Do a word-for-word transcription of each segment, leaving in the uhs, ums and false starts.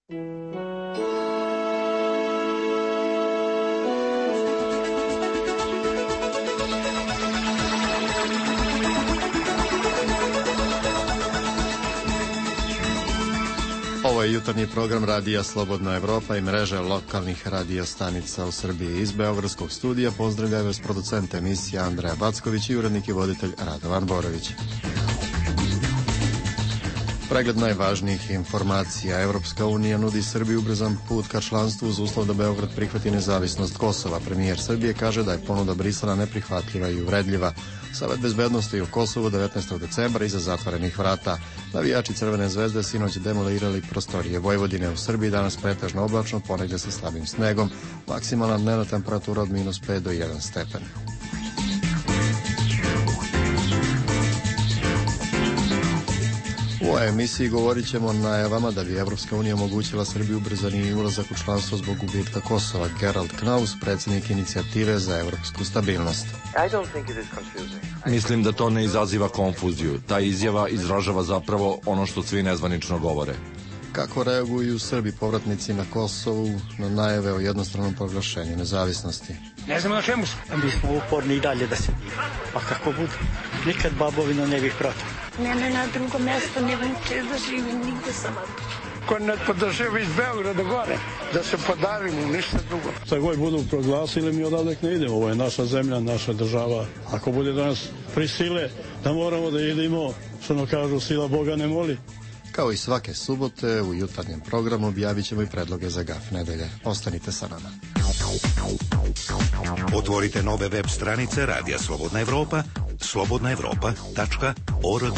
Ovo je jutarnji program Radija Slobodna Evropa i mreže lokalnih radio stanica u Srbiji. Iz Beogradskog studija pozdravljaju vas producent emisije Andreja Backović i urednik i voditelj Radovan Borović. Pregled najvažnijih informacija. Evropska unija nudi Srbiji ubrzan put ka članstvu uz uslov da Beograd prihvati nezavisnost Kosova. Premijer Srbije kaže da je ponuda Brisela neprihvatljiva i uvredljiva. Savet bezbednosti u Kosovu devetnaestog decembra iza zatvorenih vrata. Navijači Crvene zvezde sinoć demolirali prostorije Vojvodine. U Srbiji danas pretežno oblačno, ponegdje sa slabim snegom. Maksimalna dnevna temperatura od minus pet do jedan stepen. U ovoj emisiji govorit ćemo o najavama da bi Evropska unija omogućila Srbiji ubrzani ulazak u članstvo zbog gubitka Kosova. Gerald Knaus, predsjednik inicijative za evropsku stabilnost. Mislim da to ne izaziva konfuziju. Ta izjava izražava zapravo ono što svi nezvanično govore. Kako reaguju Srbi povratnici na Kosovu na najave o jednostranom proglašenju nezavisnosti? Ne znamo na čemu smo. Mi smo uporni i dalje da se diva. Pa kako bude? Nikad babovino ne bih protiv. Mene na drugo mjesto ne vuče da živim nigde sama. Ko ne podržava iz Beograda gore, da se podarimo, ništa drugo. Šta god budu proglasili, mi odavdek ne idemo. Ovo je naša zemlja, naša država. Ako bude da nas prisile, da moramo da idemo, što nam kažu, sila Boga ne moli. Kao i svake subote, u jutarnjem programu objavit ćemo i predloge za Gaf nedelje. Ostanite sa nama. Otvorite nove web stranice Radija Slobodna Evropa, slobodna evropa tačka org.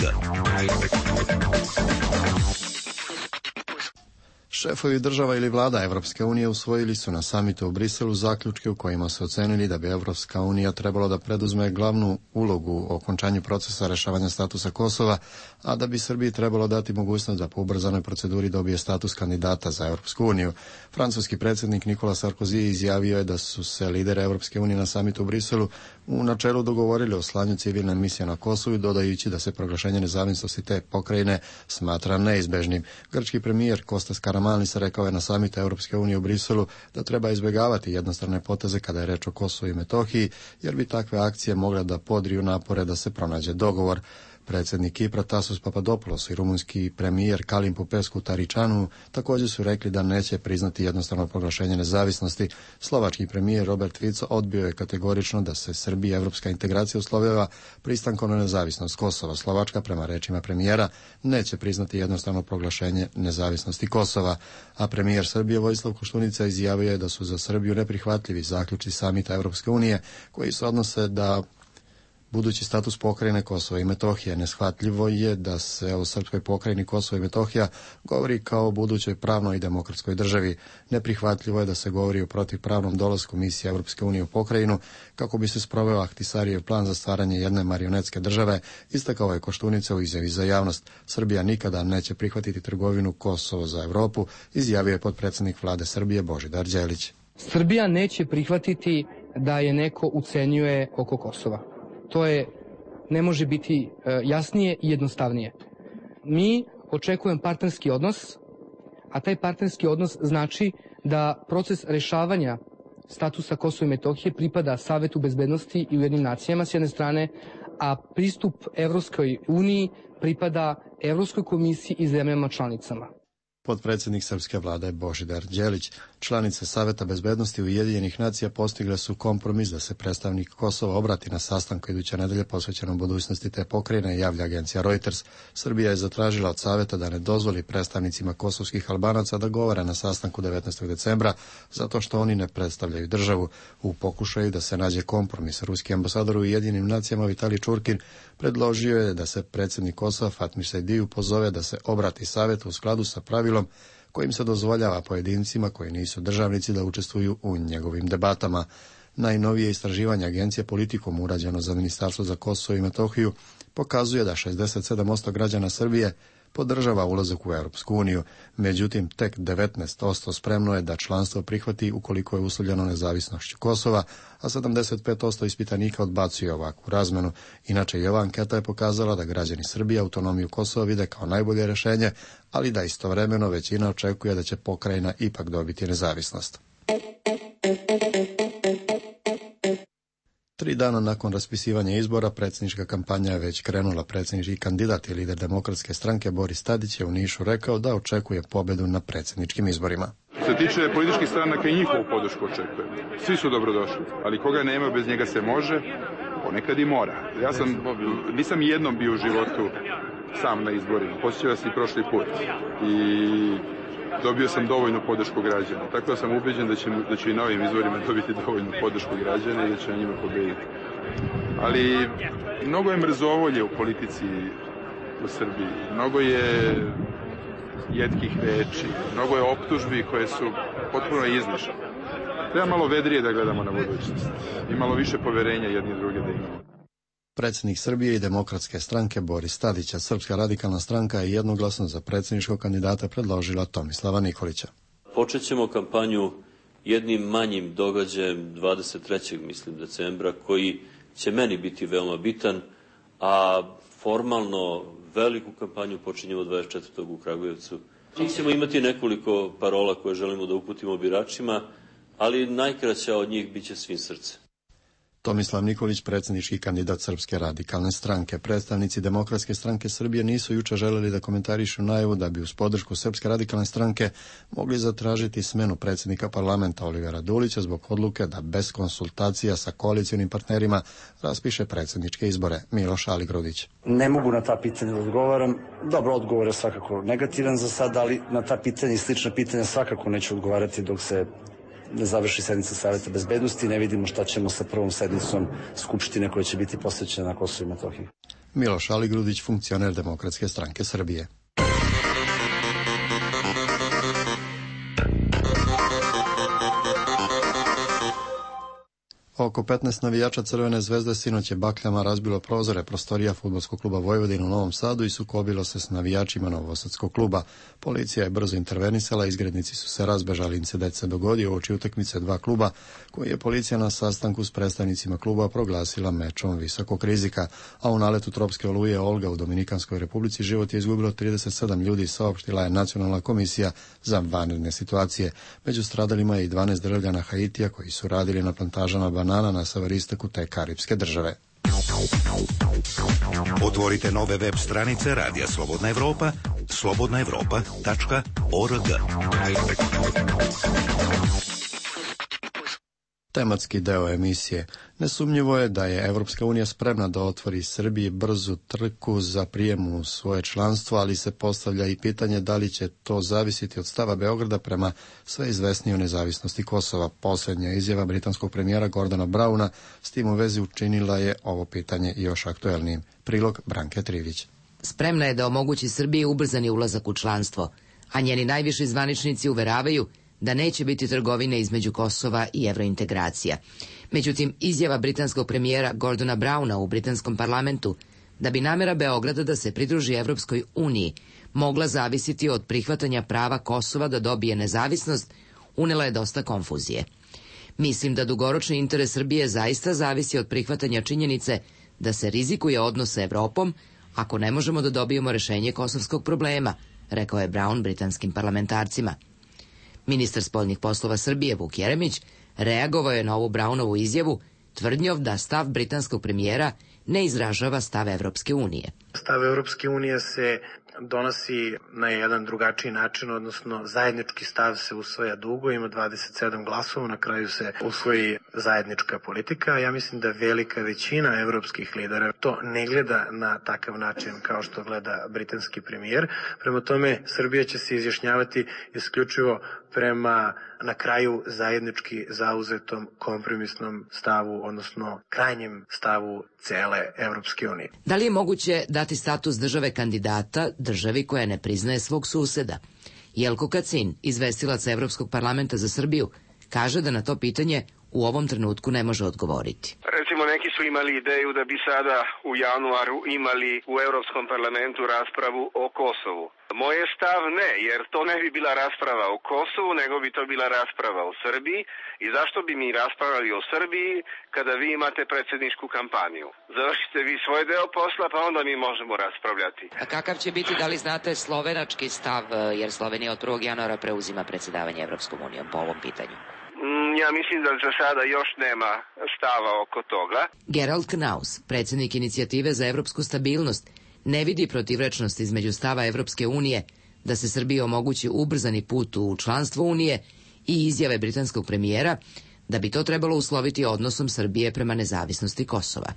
Šefovi država ili vlada Evropske unije usvojili su na samitu u Briselu zaključke u kojima su ocenili da bi Evropska unija trebalo da preduzme glavnu ulogu u okončanju procesa rešavanja statusa Kosova, a da bi Srbiji trebalo dati mogućnost da po ubrzanoj proceduri dobije status kandidata za Evropsku uniju. Francuski predsjednik Nikola Sarkozy izjavio je da su se lideri Evropske unije na samitu u Briselu u načelu dogovorili o slanju civilne misije na Kosovu, dodajući da se proglašenje nezavisnosti te pokrajine smatra neizbežnim. Grčki premijer Kostas Karamanlis rekao je na samitu Evropske unije u Briselu da treba izbjegavati jednostrane poteze kada je reč o Kosovu i Metohiji, jer bi takve akcije mogle da podriju napore da se pronađe dogovor. Predsjednik Kipra Tasos Papadopoulos i rumunski premijer Kalin Popescu Taričanu također su rekli da neće priznati jednostrano proglašenje nezavisnosti. Slovački premijer Robert Fico odbio je kategorično da se Srbija evropska integracija uslovljava pristankom na nezavisnost Kosova. Slovačka, prema rečima premijera, neće priznati jednostrano proglašenje nezavisnosti Kosova, a premijer Srbije Vojislav Koštunica izjavio je da su za Srbiju neprihvatljivi zaključci samita Evropske unije koji se odnose da budući status pokrajine Kosova i Metohije. Neshvatljivo je da se o srpskoj pokrajini Kosova i Metohija govori kao o budućoj pravnoj i demokratskoj državi. Neprihvatljivo je da se govori o protivpravnom dolasku misije Evropske unije u pokrajinu kako bi se sproveo Ahtisarijev plan za stvaranje jedne marionetske države, istakao je Koštunica u izjavi za javnost. Srbija nikada neće prihvatiti trgovinu Kosovo za Evropu, izjavio je potpredsjednik vlade Srbije Božidar Đelić. Srbija neće prihvatiti da je neko ucenjuje oko Kosova. To je, ne može biti e, jasnije i jednostavnije. Mi očekujemo partnerski odnos, a taj partnerski odnos znači da proces rešavanja statusa Kosova i Metohije pripada Savetu bezbednosti i Ujedinjenim nacijama s jedne strane, a pristup Evropskoj uniji pripada Evropskoj komisiji i zemljama članicama. Potpredsjednik srpske vlade Božidar Đelić. Članice Saveta bezbednosti Ujedinjenih nacija postigle su kompromis da se predstavnik Kosova obrati na sastanku iduće nedelje posvećenom budućnosti te pokrajine, javlja agencija Reuters. Srbija je zatražila od Saveta da ne dozvoli predstavnicima kosovskih Albanaca da govore na sastanku devetnaestog decembra zato što oni ne predstavljaju državu. U pokušaju da se nađe kompromis, ruski ambasador u Ujedinjenim nacijama Vitalij Čurkin predložio je da se predsjednik Kosova Fatmir Sejdiju pozove da se obrati Savetu u skladu sa pravilom kojim se dozvoljava pojedincima koji nisu državnici da učestvuju u njegovim debatama. Najnovije istraživanje agencije Politikom urađeno za Ministarstvo za Kosovo i Metohiju pokazuje da šezdeset sedam posto građana Srbije podržava ulazak u Europsku uniju. Međutim, tek devetnaest posto spremno je da članstvo prihvati ukoliko je uslovljeno nezavisnošću Kosova, a sedamdeset pet posto ispitanika odbacuje ovakvu razmenu. Inače, i ova anketa je pokazala da građani Srbije autonomiju Kosova vide kao najbolje rješenje, ali da istovremeno većina očekuje da će pokrajina ipak dobiti nezavisnost. Tri dana nakon raspisivanja izbora, predsjednička kampanja je već krenula. Predsjednički kandidat i lider Demokratske stranke Boris Tadić je u Nišu rekao da očekuje pobjedu na predsjedničkim izborima. Što se tiče političkih stranaka i njihovu podršku očekujem. Svi su dobrodošli, ali koga nema, bez njega se može, ponekad i mora. Ja sam, nisam jednom bio u životu sam na izborima, posjećao sam i prošli put i dobio sam dovoljnu podršku građana. Tako da sam ubeđen da će, da će i na ovim izborima dobiti dovoljnu podršku građana i da će na njima pobediti. Ali mnogo je mrzovolje u politici u Srbiji. Mnogo je jetkih reči, mnogo je optužbi koje su potpuno izlišane. Treba malo vedrije da gledamo na budućnost i malo više poverenja jedni i druge da imamo. Predsjednik Srbije i Demokratske stranke Boris Tadić, a Srpska radikalna stranka je jednoglasno za predsjedničkog kandidata predložila Tomislava Nikolića. Počet ćemo kampanju jednim manjim događajem dvadeset trećeg mislim decembra, koji će meni biti veoma bitan, a formalno veliku kampanju počinjemo dvadeset četvrtog u Kragujevcu. Mi ćemo imati nekoliko parola koje želimo da uputimo biračima, ali najkraća od njih biće svim srcem. Tomislav Nikolić, predsjednički kandidat Srpske radikalne stranke. Predstavnici Demokratske stranke Srbije nisu jučer želeli da komentarišu najavu da bi uz podršku Srpske radikalne stranke mogli zatražiti smenu predsjednika parlamenta Olivera Dulića zbog odluke da bez konsultacija sa koalicionim partnerima raspiše predsjedničke izbore. Miloš Aligrudić. Ne mogu na ta pitanja da odgovaram. Dobro, odgovor je svakako negativan za sad, ali na ta pitanja i slična pitanja svakako neću odgovarati dok se ne završi sednica Saveta bezbednosti, ne vidimo šta ćemo sa prvom sednicom Skupštine koja će biti posvećena na Kosovu i Metohiji. Miloš Aligrudić, funkcioner Demokratske stranke Srbije. Oko petnaest navijača Crvene zvezde sinoć je bakljama razbilo prozore prostorija fudbalskog kluba Vojvodina u Novom Sadu i sukobilo se s navijačima novosadskog kluba. Policija je brzo intervenisala, izgrednici su se razbežali, incident se dogodio uoči utakmice dva kluba, koji je policija na sastanku s predstavnicima kluba proglasila mečom visokog rizika, a u naletu tropske oluje Olga u Dominikanskoj Republici život je izgubilo trideset sedam ljudi, saopštila je Nacionalna komisija za vanredne situacije. Među stradalima je i dvanaest državljana Haitija koji su radili na plantažama banana na severistoku te karipske države. Otvorite nove web stranice Radija Slobodna Evropa, slobodna evropa tačka org. Tematski deo emisije. Nesumnjivo je da je Evropska unija spremna da otvori Srbiji brzu trku za prijem u svoje članstvo, ali se postavlja i pitanje da li će to zavisiti od stava Beograda prema sve izvesnijoj nezavisnosti Kosova. Posljednja izjava britanskog premijera Gordona Brauna s tim u vezi učinila je ovo pitanje još aktuelnijim. Prilog Branke Trivić. Spremna je da omogući Srbiji ubrzani ulazak u članstvo, a njeni najviši zvaničnici uveravaju da neće biti trgovine između Kosova i evrointegracija. Međutim, izjava britanskog premijera Gordona Brauna u britanskom parlamentu da bi namera Beograda da se pridruži Evropskoj uniji mogla zavisiti od prihvatanja prava Kosova da dobije nezavisnost, unela je dosta konfuzije. Mislim da dugoročni interes Srbije zaista zavisi od prihvatanja činjenice da se rizikuje odnos sa Evropom ako ne možemo da dobijemo rešenje kosovskog problema, rekao je Braun britanskim parlamentarcima. Ministar spoljnih poslova Srbije Vuk Jeremić reagovao je na ovu Braunovu izjavu tvrdnjom da stav britanskog premijera ne izražava stav Evropske unije. Stav Evropske unije se donosi na jedan drugačiji način, odnosno zajednički stav se usvaja dugo, ima dvadeset sedam glasova, na kraju se usvoji zajednička politika. Ja mislim da velika većina evropskih lidera to ne gleda na takav način kao što gleda britanski premijer. Prema tome, Srbija će se izjašnjavati isključivo prema na kraju zajednički zauzetom kompromisnom stavu, odnosno krajnjem stavu cele Evropske unije. Da li je moguće dati status države kandidata državi koja ne priznaje svog suseda? Jelko Kacin, izvestilac Evropskog parlamenta za Srbiju, kaže da na to pitanje u ovom trenutku ne može odgovoriti. Recimo neki Neki su imali ideju da bi sada u januaru imali u Europskom parlamentu raspravu o Kosovu. Moj je stav ne, jer to ne bi bila rasprava o Kosovu, nego bi to bila rasprava o Srbiji. I zašto bi mi raspravljali o Srbiji kada vi imate predsjedničku kampanju? Završite vi svoj deo posla, pa onda mi možemo raspravljati. A kakav će biti, da li znate, slovenački stav, jer Slovenija od prvog januara preuzima predsjedavanje Evropskom unijom po ovom pitanju? Ja mislim da za sada još nema stava oko toga. Gerald Knaus, predsjednik inicijative za evropsku stabilnost, ne vidi protivrečnost između stava Evropske unije da se Srbiji omogući ubrzani put u članstvo Unije i izjave britanskog premijera da bi to trebalo usloviti odnosom Srbije prema nezavisnosti Kosova.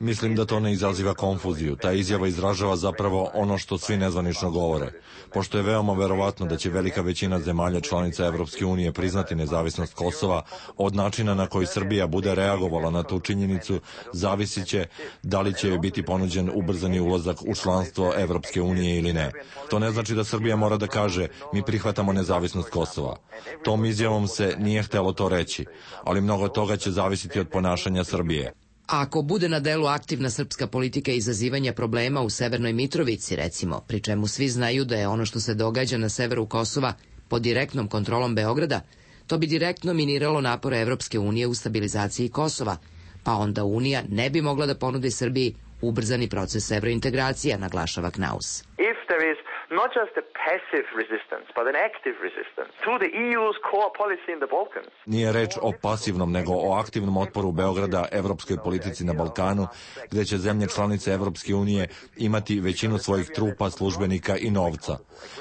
Mislim da to ne izaziva konfuziju. Ta izjava izražava zapravo ono što svi nezvanično govore. Pošto je veoma verovatno da će velika većina zemalja članica Evropske unije priznati nezavisnost Kosova, od načina na koji Srbija bude reagovala na tu činjenicu zavisit će da li će joj biti ponuđen ubrzani ulazak u članstvo Evropske unije ili ne. To ne znači da Srbija mora da kaže mi prihvatamo nezavisnost Kosova. Tom izjavom se nije htelo to reći, ali mnogo toga će zavisiti od ponašanja Srbije. Ako bude na delu aktivna srpska politika izazivanja problema u Severnoj Mitrovici, recimo, pri čemu svi znaju da je ono što se događa na severu Kosova pod direktnom kontrolom Beograda, to bi direktno miniralo napore Evropske unije u stabilizaciji Kosova, pa onda Unija ne bi mogla da ponudi Srbiji ubrzani proces evrointegracija, naglašava Knaus. Not just a passive resistance, but an active resistance to the E U's core policy in the Balkans. Nije reč o pasivnom, nego o aktivnom otporu Beograda evropskoj politici na Balkanu, gde će zemlje članice Evropske unije imati većinu svojih trupa, službenika i novca.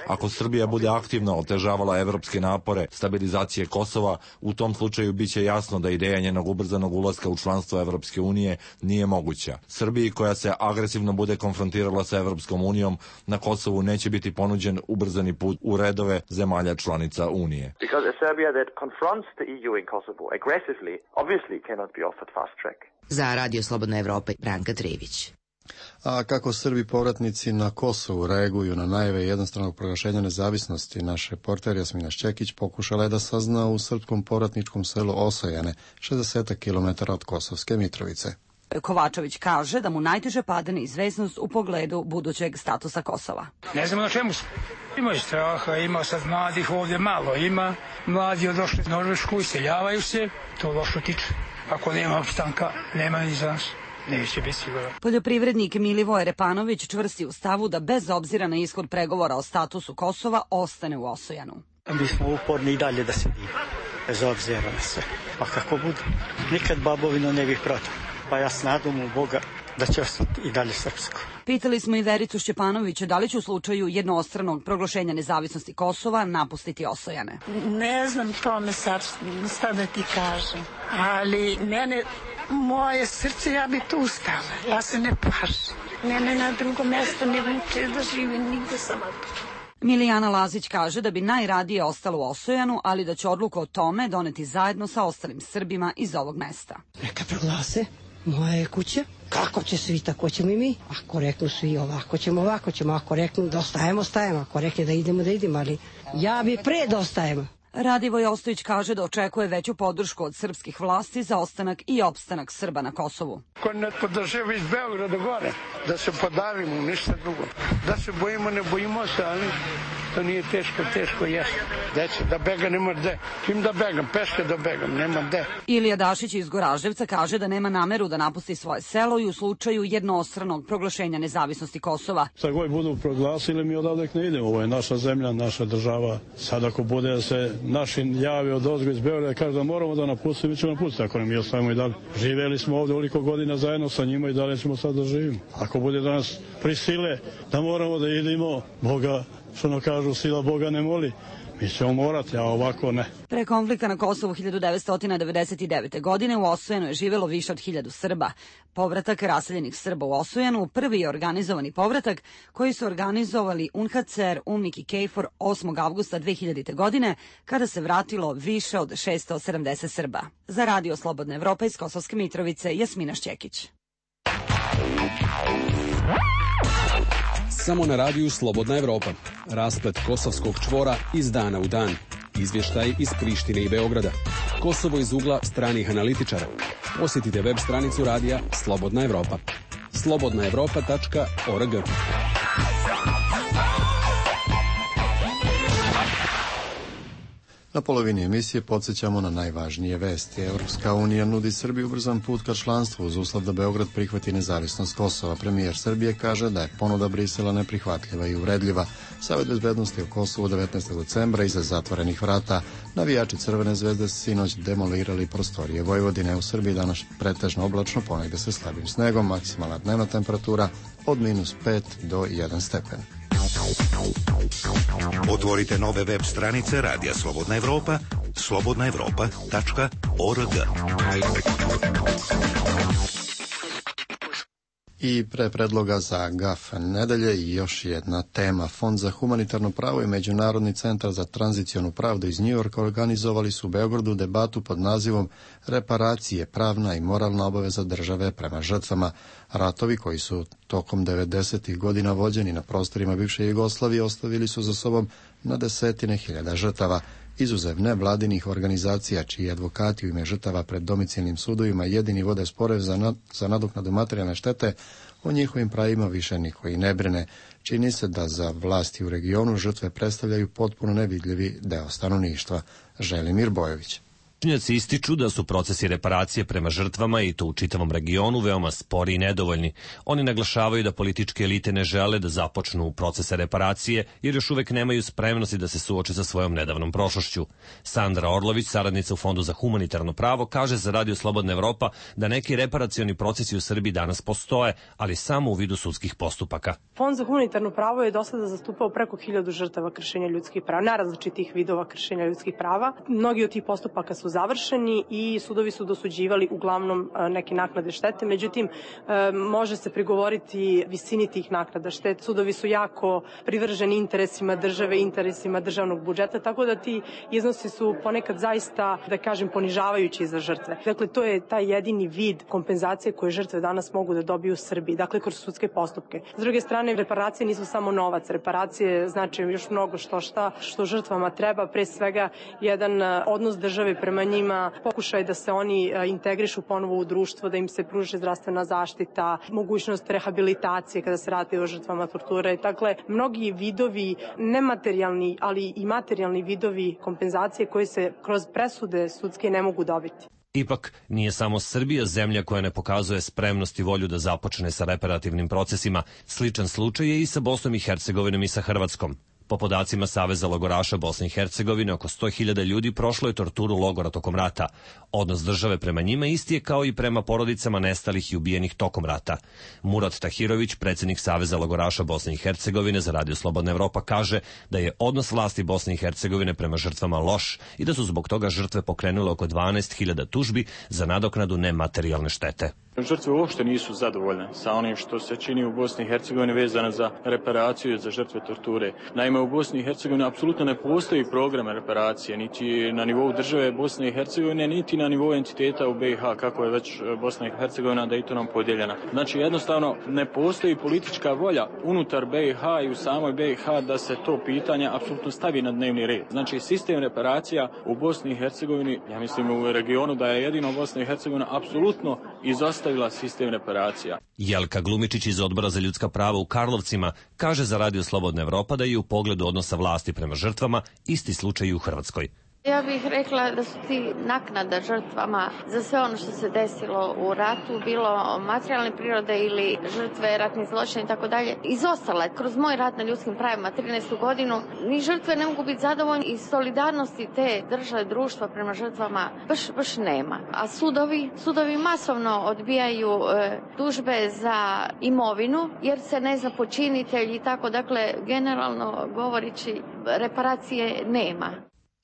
Ako Srbija bude aktivno otežavala evropske napore stabilizacije Kosova, u tom slučaju biće jasno da ideja njenog ubrzanog ulaska u članstvo Evropske unije nije moguća. Srbiji koja se agresivno bude konfrontirala sa Evropskom unijom na Kosovu neće biti ponuđen ubrzani put u redove zemalja članica Unije. Za Radio Slobodna Evropa, Branka Trivić. A kako Srbi povratnici na Kosovu reaguju na najave jednostranog proglašenja nezavisnosti, naš reporter Jasmina Šćekić pokušala je da sazna u srpskom povratničkom selu Osojane, šezdeset kilometara od Kosovske Mitrovice. Kovačević kaže da mu najteže pada neizvesnost u pogledu budućeg statusa Kosova. Ne znamo na čemu su. Ima i straha, ima sad mladih ovdje malo, ima. Mladi odošli iz Norvešku, iseljavaju se, to lošo tiče. Ako nema opstanka, nema ni za nas. Neće biti sigurno. Poljoprivrednik Milivoje Repanović čvrsti u stavu da bez obzira na ishod pregovora o statusu Kosova ostane u Osojanu. Mi smo uporni i dalje da se divi, bez obzira na sve. Pa kako bude, nikad babovino ne bih protiv. Pa ja s nadom u Boga da će ostati i dalje srpsko. Pitali smo i Vericu Šćepanovića da li će u slučaju jednostranog proglašenja nezavisnosti Kosova napustiti Osojane. Ne znam tome sad, sad da ti kažem, ali mene, moje srce, ja bi tu ustala, ja se ne plašim. Mene na drugo mjesto ne vuče da živim, nigde sam tu. Milijana Lazić kaže da bi najradije ostalo u Osojanu, ali da će odluku o tome doneti zajedno sa ostalim Srbima iz ovog mesta. Neka proglase, moja je kuća. Kako će svi, tako ćemo i mi. Ako reknu svi ovako ćemo, ovako ćemo. Ako reknu da ostajemo, ostajemo. Ako rekne da idemo, da idemo. Ali ja bi pre da ostajemo. Radivoj Ostojić kaže da očekuje veću podršku od srpskih vlasti za ostanak i opstanak Srba na Kosovu. Ko ne podržava iz Beograda gore, da se podarimo, ništa drugo. Da se bojimo, ne bojimo se, ali to nije teško, teško jeste. Deće, da bega nema gde. Kim da begam, peške da begam, nema gde. Ilija Dašić iz Goraždevca kaže da nema nameru da napusti svoje selo i u slučaju jednostranog proglašenja nezavisnosti Kosova. Sad koji budu proglasili, mi odavde ne idemo. Ovo je naša zemlja, naša država. Sad ako bude da se naši javi od ozgo iz Beograda kaže da moramo da napustimo, mi ćemo napustiti, ako ne mi ostavimo i dalje. Živjeli smo ovdje oliko godina zajedno sa njima i dalje ćemo sad da živimo. Ako bude da nas prisile da moramo da idemo, Boga, što ono kažu, sila Boga ne moli, mi ćemo morati, a ovako ne. Pre konflikta na Kosovu hiljadu devetsto devedeset devete. godine u Osojanu je živjelo više od hiljadu Srba. Povratak raseljenih Srba u Osojanu prvi je organizovani povratak koji su organizovali U N H C R, U N M I K i KFOR osmog avgusta dve hiljadite. godine, kada se vratilo više od šesto sedamdeset Srba. Za Radio Slobodna Evropa iz Kosovske Mitrovice, Jasmina Šćekić. Samo na radiju Slobodna Evropa. Rasplet kosovskog čvora iz dana u dan. izvještaj iz Prištine i Beograda, Kosovo iz ugla stranih analitičara. Posjetite web stranicu radija Slobodna Evropa. slobodna evropa tačka org. Na polovini emisije podsjećamo na najvažnije vesti. Evropska unija nudi Srbiji ubrzan put ka članstvu uz uslov da Beograd prihvati nezavisnost Kosova. Premijer Srbije kaže da je ponuda Brisela neprihvatljiva i uvredljiva. Savet bezbednosti u Kosovu devetnaestog decembra iza zatvorenih vrata. Navijači Crvene zvezde sinoć demolirali prostorije Vojvodine. U Srbiji danas pretežno oblačno, ponegde sa slabim snegom, maksimalna dnevna temperatura od minus pet do jedan stepen. Otvorite nove web stranice Radija Slobodna Evropa, slobodna evropa tačka org. I pre predloga za G A F nedelje i još jedna tema. Fond za humanitarno pravo i Međunarodni centar za tranzicionu pravdu iz Njujorka organizovali su u Beogradu debatu pod nazivom Reparacije, pravna i moralna obaveza države prema žrtvama. Ratovi koji su tokom devedesetih godina vođeni na prostorima bivše Jugoslavije ostavili su za sobom na desetine hiljada žrtava. Izuzev nevladinih organizacija čiji advokati u ime žrtava pred domicilnim sudovima jedini vode sporove za, nad, za nadoknadu materijalne štete, o njihovim pravima više niko i ne brine. Čini se da za vlasti u regionu žrtve predstavljaju potpuno nevidljivi deo stanovništva. Želimir Bojović. Stručnjaci ističu da su procesi reparacije prema žrtvama i to u čitavom regionu veoma spori i nedovoljni. Oni naglašavaju da političke elite ne žele da započnu procese reparacije jer još uvek nemaju spremnosti da se suoče sa svojom nedavnom prošlošću. Sandra Orlović, saradnica u Fondu za humanitarno pravo, kaže za Radio Slobodna Evropa da neki reparacioni procesi u Srbiji danas postoje, ali samo u vidu sudskih postupaka. Fond za humanitarno pravo je do sada zastupao preko hiljadu žrtava kršenja ljudskih prava, najrazličitih vidova kršenja ljudskih prava. Mnogi od tih postupaka su završeni i sudovi su dosuđivali uglavnom neke naknade štete, međutim može se prigovoriti visini tih naknada štete. Sudovi su jako privrženi interesima države, interesima državnog budžeta, tako da ti iznosi su ponekad zaista, da kažem, ponižavajući za žrtve. Dakle, to je taj jedini vid kompenzacije koje žrtve danas mogu da dobiju u Srbiji, dakle kroz sudske postupke. S druge strane, reparacije nisu samo novac, reparacije znači još mnogo što šta što žrtvama treba, pre svega jedan odnos države prema njima, pokušaj da se oni integrišu ponovo u društvo, da im se pruži zdravstvena zaštita, mogućnost rehabilitacije kada se radi o žrtvama torture. Dakle, mnogi vidovi, nematerijalni, ali i materijalni vidovi kompenzacije koje se kroz presude sudske ne mogu dobiti. Ipak, nije samo Srbija zemlja koja ne pokazuje spremnost i volju da započne sa reparativnim procesima. Sličan slučaj je i sa Bosnom i Hercegovinom i sa Hrvatskom. Po podacima Saveza logoraša Bosne i Hercegovine, oko sto hiljada ljudi prošlo je torturu logora tokom rata. Odnos države prema njima isti je kao i prema porodicama nestalih i ubijenih tokom rata. Murat Tahirović, predsjednik Saveza logoraša Bosne i Hercegovine za Radio Slobodna Evropa, kaže da je odnos vlasti Bosne i Hercegovine prema žrtvama loš i da su zbog toga žrtve pokrenule oko dvanaest hiljada tužbi za nadoknadu nematerijalne štete. Žrtve uopšte nisu zadovoljne sa onim što se čini u Bosni i Hercegovini vezano za reparaciju za žrtve torture. Naime, u Bosni i Hercegovini apsolutno ne postoji program reparacije, niti na nivou države Bosne i Hercegovine, niti na nivou entiteta u B i H, kako je već Bosna i Hercegovina Daytonom podijeljena. Znači, jednostavno ne postoji politička volja unutar B i H i u samoj B i H da se to pitanje apsolutno stavi na dnevni red. Znači, sistem reparacija u Bosni i Hercegovini, ja mislim u regionu da je jedino Bosna i Hercegovina apsolutno izostavila sistem reparacija. Jelka Glumičić iz Odbora za ljudska prava u Karlovcima kaže za Radio Slobodna Evropa da je u pogledu odnosa vlasti prema žrtvama isti slučaj i u Hrvatskoj. Ja bih rekla da su ti naknada žrtvama za sve ono što se desilo u ratu, bilo materijalne prirode ili žrtve, ratnih zločina i tako dalje, izostala. Kroz moj rad na ljudskim pravima trinaestu godinu, ni žrtve ne mogu biti zadovoljni i solidarnosti te države, društva prema žrtvama baš, baš nema. A sudovi, sudovi masovno odbijaju e, tužbe za imovinu jer se ne zna počinitelj i tako, dakle, generalno govorići, reparacije nema.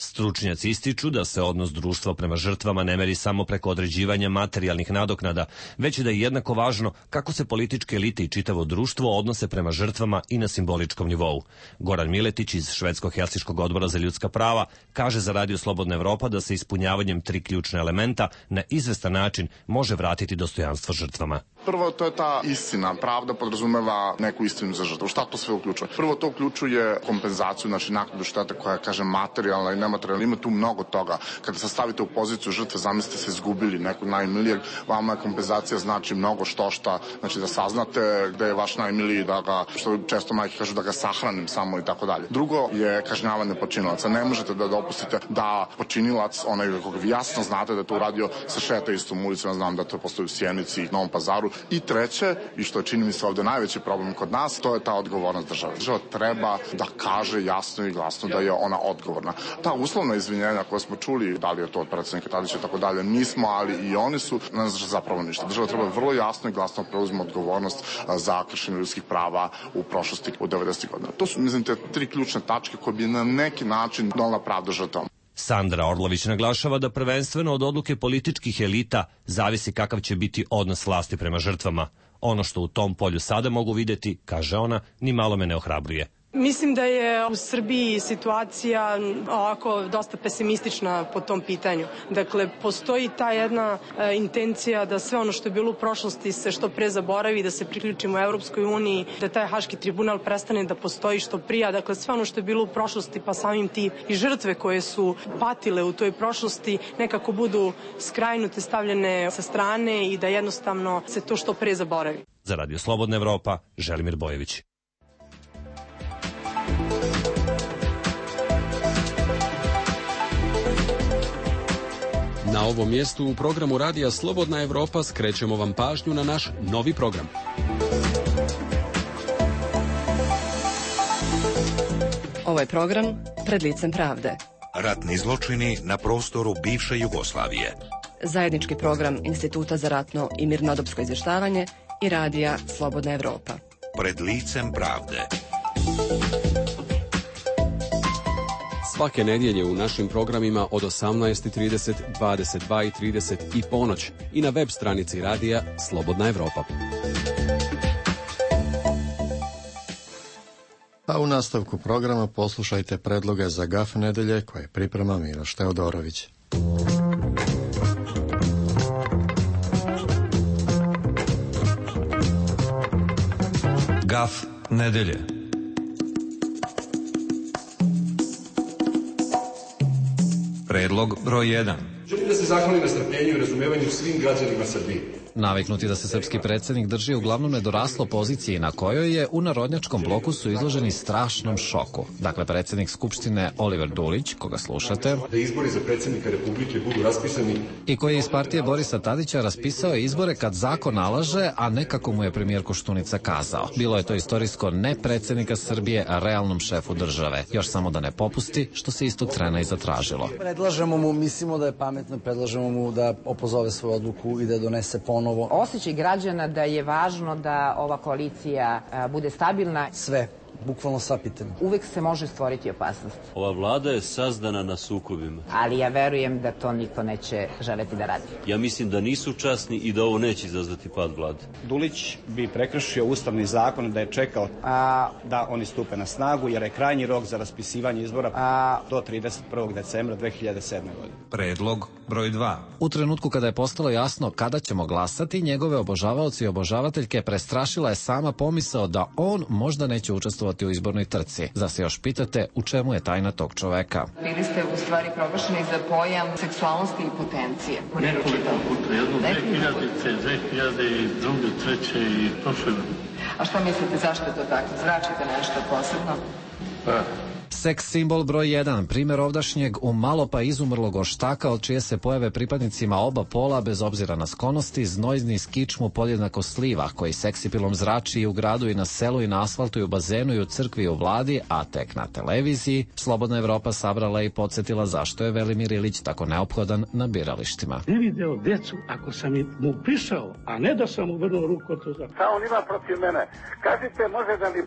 Stručnjaci ističu da se odnos društva prema žrtvama ne meri samo preko određivanja materijalnih nadoknada, već i da je jednako važno kako se političke elite i čitavo društvo odnose prema žrtvama i na simboličkom nivou. Goran Miletić iz Švedsko-Helsinškog odbora za ljudska prava kaže za Radio Slobodna Evropa da se ispunjavanjem tri ključne elementa na izvestan način može vratiti dostojanstvo žrtvama. Prvo, to je ta istina. Pravda podrazumeva neku istinu za žrtvu. Šta to sve uključuje? Prvo, to uključuje kompenzaciju, znači naknadu štete koja je, kažem, materijalna i nematerijalna. Ima tu mnogo toga. Kada se stavite u poziciju žrtve, zamislite se izgubili nekog najmilijeg, vama je kompenzacija znači mnogo što šta, znači da saznate gde je vaš najmiliji, da ga, što često majke kažu, da ga sahranim samo i tako dalje. Drugo je kažnjavanje počinilaca. Ne možete da dopustite da počinilac, onaj koga vi jasno znate da je to uradio, se šeta istom ulicom, znam da to postoji u Sjenici i Novom Pazaru. I treće, i što je čini mi se ovde najveći problem kod nas, to je ta odgovornost države. Država treba da kaže jasno i glasno da je ona odgovorna. Ta uslovna izvinjenja koje smo čuli, da li je to od predsednika Tadića i tako dalje, nismo, ali i oni su, ne znači zapravo ništa. Država treba vrlo jasno i glasno preuzima odgovornost za kršenje ljudskih prava u prošlosti u devedesetih godina. To su, mislim, te tri ključne tačke koje bi na neki način donela pravdu žrtvom. Sandra Orlović naglašava da prvenstveno od odluke političkih elita zavisi kakav će biti odnos vlasti prema žrtvama. Ono što u tom polju sada mogu videti, kaže ona, ni malo me ne ohrabruje. Mislim da je u Srbiji situacija ovako dosta pesimistična po tom pitanju. Dakle, postoji ta jedna e, intencija da sve ono što je bilo u prošlosti se što pre zaboravi, da se priključimo Evropskoj uniji, da taj Haški tribunal prestane da postoji što prija. Dakle, sve ono što je bilo u prošlosti, pa samim ti i žrtve koje su patile u toj prošlosti, nekako budu skrajnute, stavljene sa strane i da jednostavno se to što pre zaboravi. Za Radio Slobodna Evropa, Želimir Bojević. Na ovom mjestu u programu Radija Slobodna Evropa skrećemo vam pažnju na naš novi program. Ovaj program pred licem pravde. Ratni zločini na prostoru bivše Jugoslavije. Zajednički program Instituta za ratno i mirnodopsko izvještavanje i Radija Slobodna Evropa. Pred licem pravde. Svake nedjelje u našim programima od osamnaest i trideset, dvadeset dva i trideset i ponoć i na web stranici Radija Slobodna Evropa. A u nastavku programa poslušajte predloge za Gaf nedelje koje priprema Miloš Teodorović. Gaf nedelje. Predlog broj jedan. Želim da se zahvalim na strpljenju i razumevanju svim građanima Srbije. Naviknuti da se srpski predsjednik drži uglavnom nedoraslo poziciji na kojoj je u narodnjačkom bloku su izloženi strašnom šoku. Dakle, predsjednik Skupštine Oliver Dulić, koga slušate, da izbori za predsjednika Republike budu raspisani i koji je iz partije Borisa Tadića raspisao izbore kad zakon nalaže, a ne kako mu je premijer Koštunica kazao. Bilo je to istorijsko ne predsjednika Srbije, a realnom šefu države. Još samo da ne popusti, što se istog trena i zatražilo. Predlažemo mu, mislimo da je pametno, predlažemo mu da opozove svoju odluku i da donese ponovno. Osjećaj građana da je važno da ova koalicija a, bude stabilna. Sve, bukvalno sva pitanja. Uvek se može stvoriti opasnost. Ova vlada je sazdana na sukobima. Ali ja verujem da to niko neće želeti da radi. Ja mislim da nisu časni i da ovo neće izazvati pad vlade. Dulić bi prekršio ustavni zakon da je čekao a, da oni stupe na snagu, jer je krajnji rok za raspisivanje izbora a, do trideset prvog decembra dve hiljade sedme. godine. Predlog broj dva. U trenutku kada je postalo jasno kada ćemo glasati, njegove obožavaoci i obožavateljke prestrašila je sama pomisao da on možda neće učestvovati u izbornoj trci. Zar se još pitate u čemu je tajna tog čoveka? Bili ste u stvari proglašeni za pojam seksualnosti i potencije. Nekoliko puta, jedno dve hiljadice, dve hiljade druge, treće i prošle. A šta mislite zašto je to tako? Zračite nešto posebno? Pa. Seks simbol broj jedan, primjer ovdašnjeg u malo pa izumrlog oštaka od čije se pojave pripadnicima oba pola bez obzira na sklonosti, znojzni skičmu podjednako sliva koji seksipilom zrači i u gradu i na selu i na asfaltu i u bazenu i u crkvi i u vladi, a tek na televiziji Slobodna Evropa sabrala i podsjetila zašto je Velimir Ilić tako neophodan na biralištima. Ne video djecu ako sam mu prišao, a ne da sam mu vrlo ruku od toga. Šta on ima protiv mene? Kažite, može da mi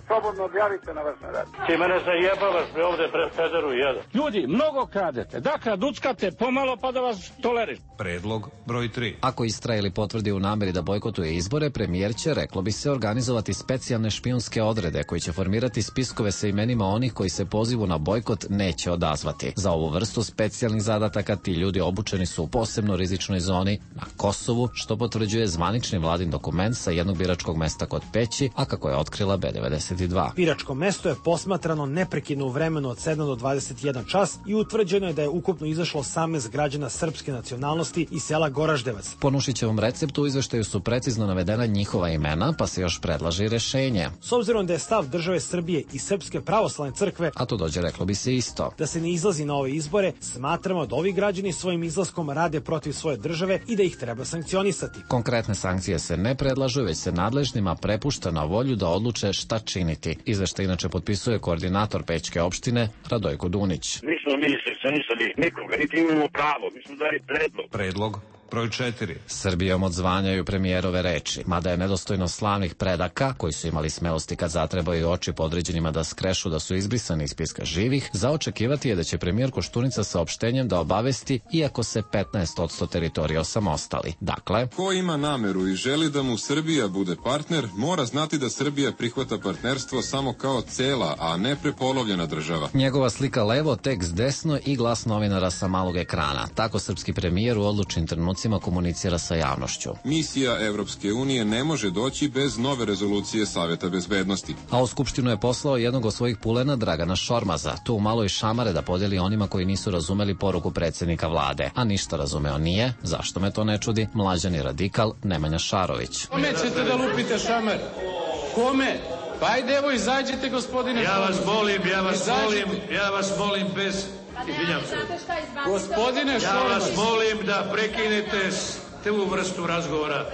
slobodno objavite na vašem radiju. Ti mene zajebavaš me ovde pred Federu jedan. Ljudi, mnogo kradete. Dakle, duckate pomalo pa da vas toleriš. Predlog broj tri. Ako istraje ili potvrdi u nameri da bojkotuje izbore, premijer će, reklo bi se, organizovati specijalne špijunske odrede koji će formirati spiskove sa imenima onih koji se pozivu na bojkot neće odazvati. Za ovu vrstu specijalnih zadataka ti ljudi obučeni su u posebno rizičnoj zoni na Kosovu, što potvrđuje zvanični vladin dokument sa jednog biračkog mesta kod Peći, a kako je otkrila B devedeset dva. Biračko mesto je posmatrano neprekidno u vremenu od sedam do dvadeset jedan čas i utvrđeno je da je ukupno izašlo osamnaest građana srpske nacionalnosti iz sela Goraždevac. Po Nušićevom receptu u izveštaju su precizno navedena njihova imena, pa se još predlaže i rešenje. S obzirom da je stav države Srbije i Srpske pravoslavne crkve, a to dođe reklo bi se isto, da se ne izlazi na ove izbore, smatramo da ovi građani svojim izlaskom rade protiv svoje države i da ih treba sankcionisati. Konkretne sankcije se ne predlažu, već se nadležnima prepušta na volju da odluče šta činiti. Izveštaj inače potpisuje koordinator Pećke opštine Radojko Dunić. Nismo mi sankcionisali nikoga, niti imamo pravo, mi smo dali predlog. Predlog broj četiri. Srbijom odzvanjaju premijerove reči, mada je nedostojno slavnih predaka, koji su imali smelosti kad zatrebaju oči podređenima da skrešu da su izbrisani iz spiska živih, za očekivati je da će premijer Koštunica saopštenjem da obavesti, iako se petnaest posto teritorija osamostali. Dakle, ko ima nameru i želi da mu Srbija bude partner, mora znati da Srbija prihvata partnerstvo samo kao cela, a ne prepolovljena država. Njegova slika levo, tekst desno i glas novinara sa malog ekrana. Tako srpski premijer u odlučnim trenucima komunicira sa javnošću. Misija Evropske unije ne može doći bez nove rezolucije Saveta bezbednosti. A u Skupštinu je poslao jednog od svojih pulena, Dragana Šormaza, tu malo i šamare da podeli onima koji nisu razumeli poruku predsjednika vlade. A ništa razumeo nije, zašto me to ne čudi, mlađani radikal Nemanja Šarović. Kome ćete da lupite šamar? Kome? Pa ajde, evo izađite, gospodine. Ja vas molim, ja vas molim, ja vas molim bez... Izvinjam se. Gospodine Šormaz. Ja vas molim da prekinete tu vrstu razgovora.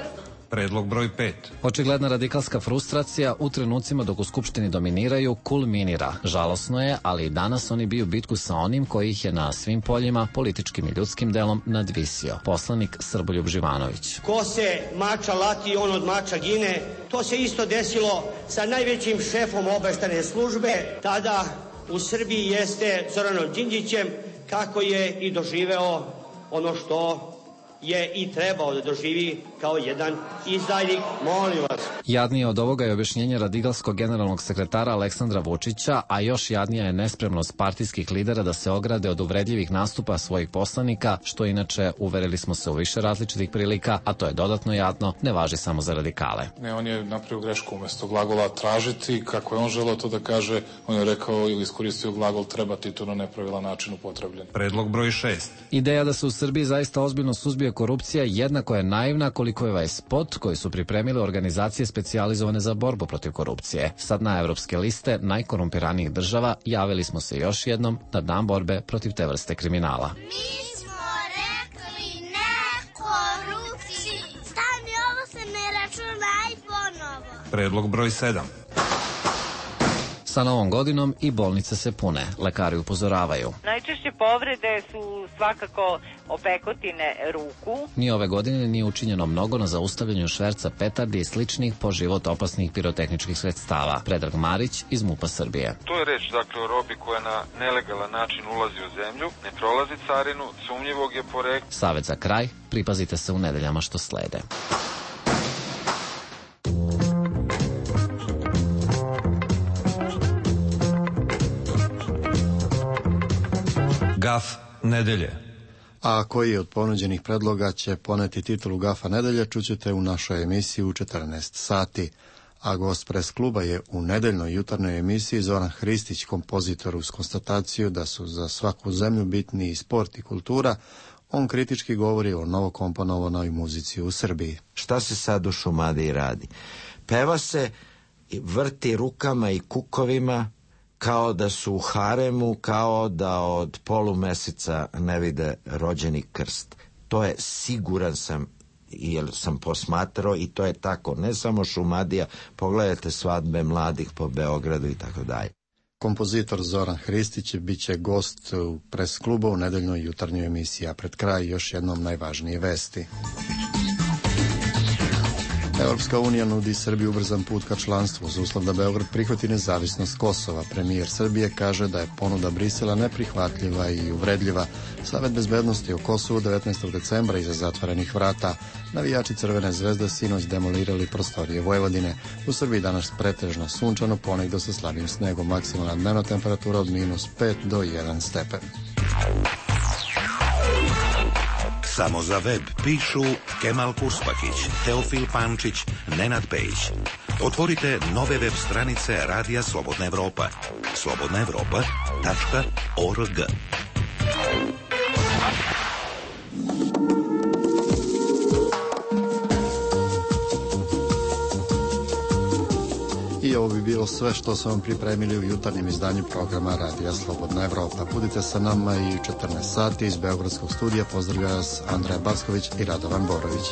Predlog broj pet. Očigledna radikalska frustracija u trenucima dok u Skupštini dominiraju kulminira. Žalosno je, ali i danas oni biju bitku sa onim koji ih je na svim poljima, političkim i ljudskim delom, nadvisio. Poslanik Srboljub Živanović. Ko se mača lati, on od mača gine. To se isto desilo sa najvećim šefom obaveštajne službe. Tada u Srbiji jeste Zoranom Đinđićem, kako je i doživeo ono što je i trebao da doživi kao jedan izdajnik, molim vas. Jadnije od ovoga je objašnjenje radikalskog generalnog sekretara Aleksandra Vučića, a još jadnija je nespremnost partijskih lidera da se ograde od uvredljivih nastupa svojih poslanika, što inače, uverili smo se u više različitih prilika, a to je dodatno jadno, ne važi samo za radikale. Ne, on je napravio grešku, umesto glagola tražiti, kako je on želeo to da kaže, on je rekao ili iskoristio glagol trebati, to na nepravilan način upotrebljen. Predlog broj šest. Ideja da se u Srbiji zaista ozbiljno suzbije korupcija jednako je naivna koliko je ovaj spot koji su pripremile organizacije specijalizovane za borbu protiv korupcije. Sad na evropske liste najkorumpiranijih država javili smo se još jednom na dan borbe protiv te vrste kriminala. Mi smo rekli ne korupciji. Stani, ovo se ne računa i ponovo. Predlog broj sedam. Sa novom godinom i bolnice se pune, lekari upozoravaju. Najčešće povrede su svakako opekotine ruku. Ni ove godine nije učinjeno mnogo na zaustavljanju šverca petardi i sličnih po život opasnih pirotehničkih sredstava. Predrag Marić iz MUP-a Srbije. To je reč dakle o robi koja na nelegalan način ulazi u zemlju, ne prolazi carinu, sumnjivog je porekla. Savet za kraj, pripazite se u nedeljama što slede. Gaf nedelje. A koji od ponuđenih predloga će poneti titulu Gafa nedelje, čućete u našoj emisiji u četrnaest sati. A gost pres kluba je u nedeljnoj jutarnjoj emisiji Zoran Hristić, kompozitor, uz konstataciju da su za svaku zemlju bitni i sport i kultura. On kritički govori o novokomponovanoj muzici u Srbiji. Šta se sad u Šumadiji radi? Peva se, vrti rukama i kukovima, kao da su u haremu, kao da od polumeseca ne vide rođeni krst. To je, siguran sam, jer sam posmatrao, i to je tako, ne samo Šumadija, pogledajte svadbe mladih po Beogradu i tako dalje. Kompozitor Zoran Hristić bit će gost u pres kluba u nedeljnoj jutarnjoj emisiji, a pred kraj još jednom najvažnije vesti. Evropska unija nudi Srbiji ubrzan put ka članstvu uz uslov da Beograd prihvati nezavisnost Kosova. Premijer Srbije kaže da je ponuda Brisela neprihvatljiva i uvredljiva. Savet bezbednosti o Kosovu devetnaestog decembra iza zatvorenih vrata. Navijači Crvene zvezde sinoć demolirali prostorije Vojvodine. U Srbiji danas pretežno sunčano, ponegdo sa slabim snegom. Maksimalna dnevna temperatura od minus pet do jedan stepen. Samo za web pišu Kemal Kurspakić, Teofil Pančić, Nenad Pejić. Otvorite nove web stranice Radija Slobodna Evropa. slobodna evropa tačka org. I ovo bi bilo sve što su vam pripremili u jutarnjem izdanju programa Radija Slobodna Evropa. Budite sa nama i u četrnaest sati iz Beogradskog studija. Pozdravlja vas Andreja Basković i Radovan Borović.